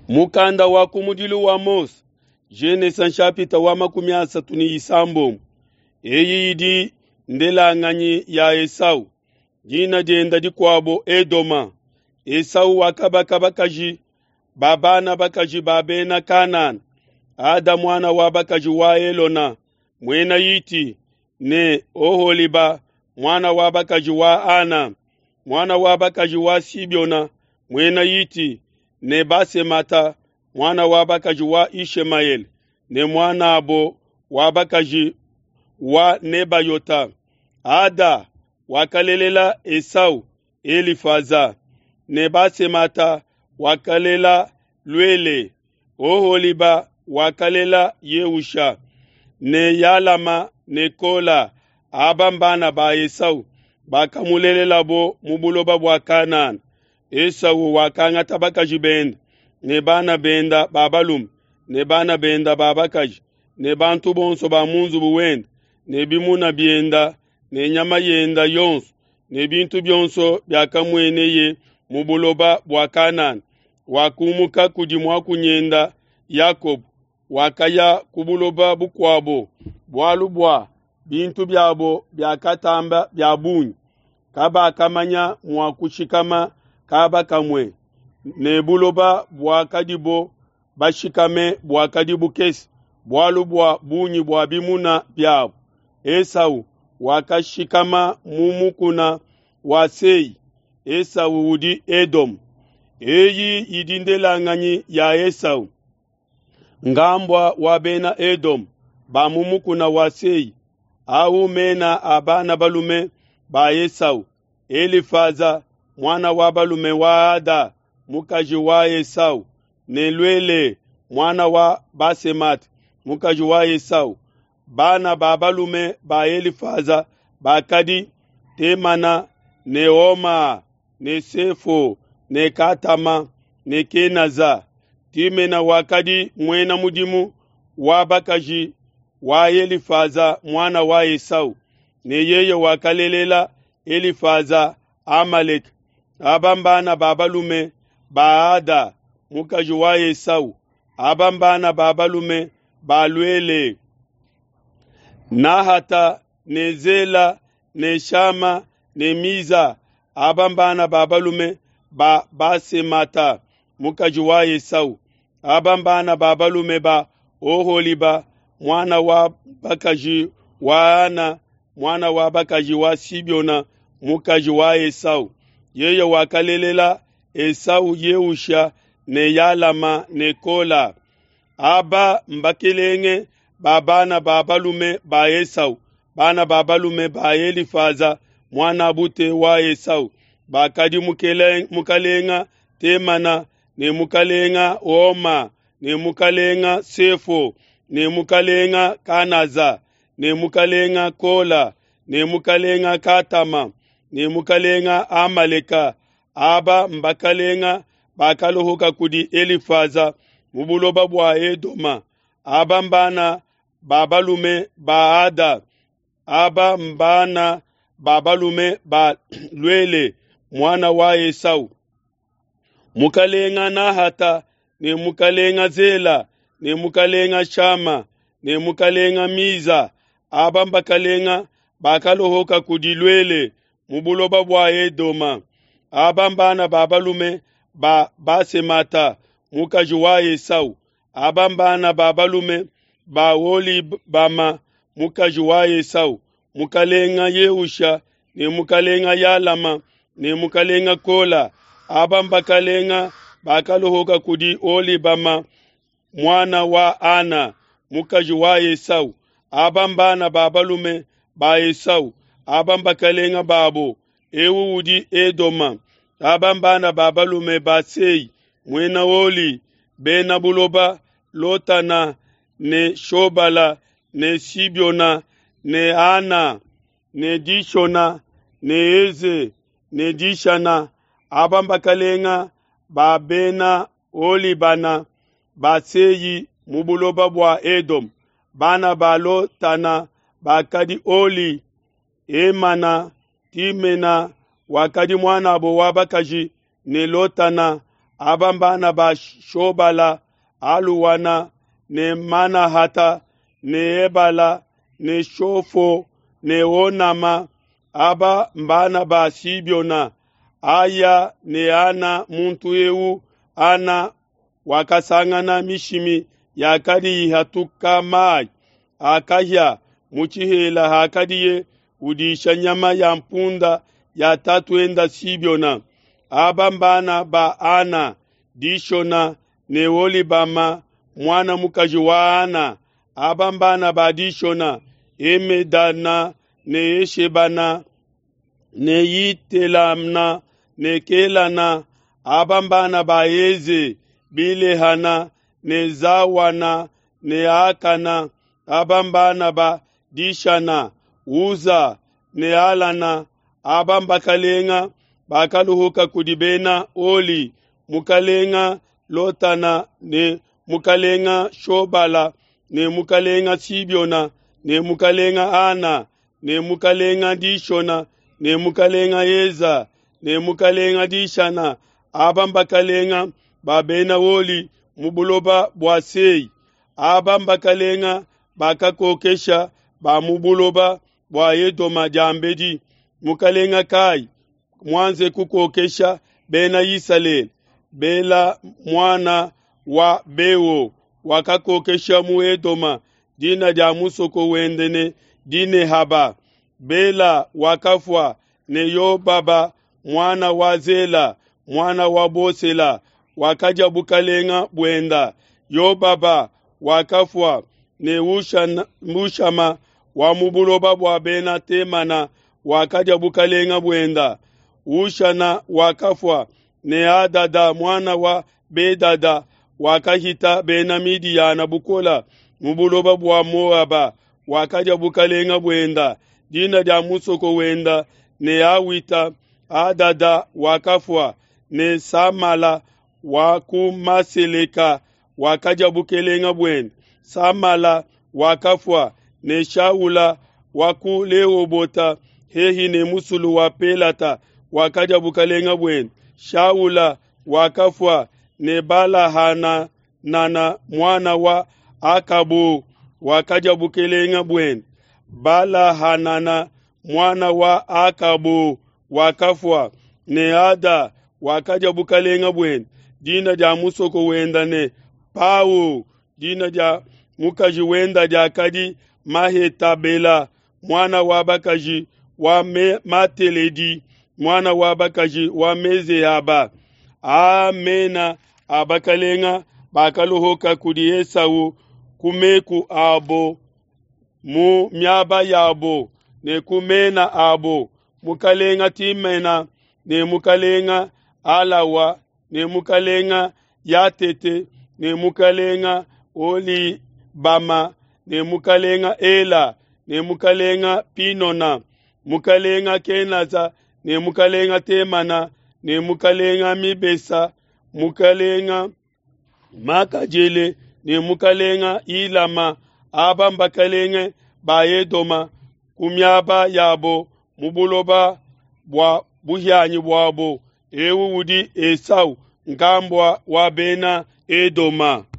Mukanda wa kumudilu wa Mose, Genesa nshapita wa 36. Eyi idi ndelanganyi ya Esau, dina dienda dikuabo Edoma. Esau wakabaka bakaji ba bana bakaji ba bena Kanana, Ada muana wa bakaji wa Elona, muena Hiti, ne Oholiba muana wa bakaji wa Ana, muana wa bakaji wa Sibiona, muena Hiti, ne Basemata muana wa bakaji wa Ishemaele ne muanabo wa bakaji wa Nebayota. Ada wakalelela Esau Elifaza ne Basemata wakalela Luele. Oholiba wakalela Yeusha ne Yalama ne Kola. Aba mbana ba Esau bakamulelelabo mu buloba bua Kanana. Esau wakangata bakaji bende ne bana benda ba balume ne bana benda ba bakaji ne bantu bonso ba mu nzubu wende ne bimuna bienda ne nyama yenda yonso ne bintu bionso biakamueneye mu buloba bua Kanana. Wakumuka kudi muakunyenda Yakobo, wakaya ku buloba bukuabo, bualu bua bintu biabo biakatamba bia bungi, kabakamanya mua kushikama kaba kamue, ne buloba buakadibo bashikame buakadi bukese, bualu bua bungi bua bimuna biabo. Esau wakashikama mu mukuna wa Sei. Esau udi Edome. Eyi idi ndelanganyi ya Esau, ngambua wa bena Edome ba mu mukuna wa Sei. Awu mena a bana balume ba Esau: Elifaza muana wa balume wa Ada, mukaji wa Esau, ne Luele muana wa Basemate, mukaji wa Esau. Bana ba balume ba Elifaza bakadi Temana ne Oma ne Sefo ne Katama ne Kenaza. Timena wakadi muena mudimu wa bakaji wa Elifaza muana wa Esau, ne yeye wakalelela Elifaza Amaleka. Aba mbana ba balume ba Ada, mukaji wa Esau. Aba mbana ba balume ba Luele: Nahata ne Zela ne Shama ne Miza. Aba mbana ba balume ba Basemata, mukaji wa Esau. Aba mbana ba balume ba Oholiba, muana wa bakaji wa Ana, muana wa bakaji wa Sibiona, mukaji wa Esau. Yeye wakalelela Esau Yeusha ne Yalama ne Kola. Aba mbakelenge ba bana ba balume ba Esau, bana ba balume ba Elifaza muanabute wa Esau, bakadi mukalenga Temana ne mukalenga Oma ne mukalenga Sefo ne mukalenga Kanaza ne mukalenga Kola ne mukalenga Katama ne mukalenga Amaleka. Aba mbakalenga bakalohoka kudi Elifaza mu buloba bua Edoma. Aba mbana ba balume ba Ada. Aba mbana ba balume ba Luele muana wa Esau. Mukalenga Nahata ne mukalenga Zela ne mukalenga Shama ne mukalenga Miza. Aba mbakalenga bakalohoka kudi Luele mu buloba bua Edoma. Aba mbana ba balume ba Basemata mukaji wa Esau. Aba mbana ba balume ba Olibama mukaji wa Esau, mukalenga Yeusha ne mukalenga Yalama ne mukalenga Kola. Aba mbakalenga bakalohoka kudi Olibama muana wa Ana, mukaji wa Esau. Aba mbana ba balume ba Esau. Aba mbakalenga babo. Ewu udi Edoma. Aba mbana ba balume ba Sei, muena Oli, bena buloba Lotana ne Shobala ne Sibiona ne Ana ne Dishona ne Eze ne Dishana. Aba mbakalenga ba bena Olibana ba Sei mu buloba bua Edom. Bana ba Lotana bakadi Oli, Emana, Timena wakadi muanabo wa bakaji ne Lotana. Aba mbana ba Shobala, Aluwana ne Manahata ne Ebala ne Shofo ne Onama. Aba mbana ba Sibiona. Aya ne Ana muntu eu Ana wakasangana mishimi yakadi ihatuka mai akahya mu tshihela hakadiye udisha nyama ya mpunda ya tatuenda Sibiona. Aba mbana ba Ana, Dishona ne Olibama mwana mukaji wa Ana. Aba mbana ba Dishona, Emedana ne Eshebana ne Yitelamna ne Kelana. Aba mbana ba Eze, Bilehana ne Zawana ne Akana. Aba mbana ba Dishana, Uza ne Alana. Aba mbakalenga bakaluhuka kudi bena Oli, mukalenga Lotana ne mukalenga Shobala ne mukalenga Sibiona ne mukalenga Ana ne mukalenga Dishona ne mukalenga Eza ne mukalenga Dishana. Aba mbakalenga ba bena Oli mu buloba bua Sei. Aba mbakalenga bakakokesha ba mu buloba bua Edoma diambedi. Mukalenga kai mwanze kukokesha bena Isalele. Bela mwana wa Beo wakakokesha mu Edoma. Dina dia musoko wende ne Dinehaba. Bela wakafua ne Yobaba mwana wa Zela mwana wa Bosela wakaja bukalenga bwenda. Yobaba wakafua ne Ushama wa mu buloba bua bena Temana wakaja bukalenga bwenda. Ushana wakafua ne Adada mwana wa Bedada wakahita bena Midiyana bukola mu buloba bua Moaba wakaja bukalenga bwenda. Dina dia musoko wenda ne Awita. Adada wakafua ne Samala wa ku Maseleka wakaja bukelenga bwenda. Samala wakafua ne Shaula wa ku Lehobota hehi ne musulu wa Pelata wakaja bukalenga bwenda. Shaula wakafua ne Balahana nana mwana wa Akabu wakaja bukelenga bwenda. Balahanana mwana wa Akabu wakafua ne Ada wakaja bukalenga bwenda. Dina dia musoko wenda ne Pau. Dina dia mukaji wenda diakadi Mahetabela mwana wa bakaji wa Mateledi mwana wa bakaji wa Mezehaba. Amena abakalenga bakaluhuka kudi Esau ku meku abo mu miaba yabo ne ku mena abo. Mukalenga Timena ne mukalenga Alawa ne mukalenga Yatete ne mukalenga Olibama ne mukalenga Ela ne mukalenga Pinona, mukalenga Kenaza ne mukalenga Temana ne mukalenga Mibesa, mukalenga Makajele ne mukalenga Ilama. Aba mbakalenga ba Edoma ku miaba yabo mu buloba bua buhianyi buabo. Ewu udi Esau nkambua wa bena Edoma.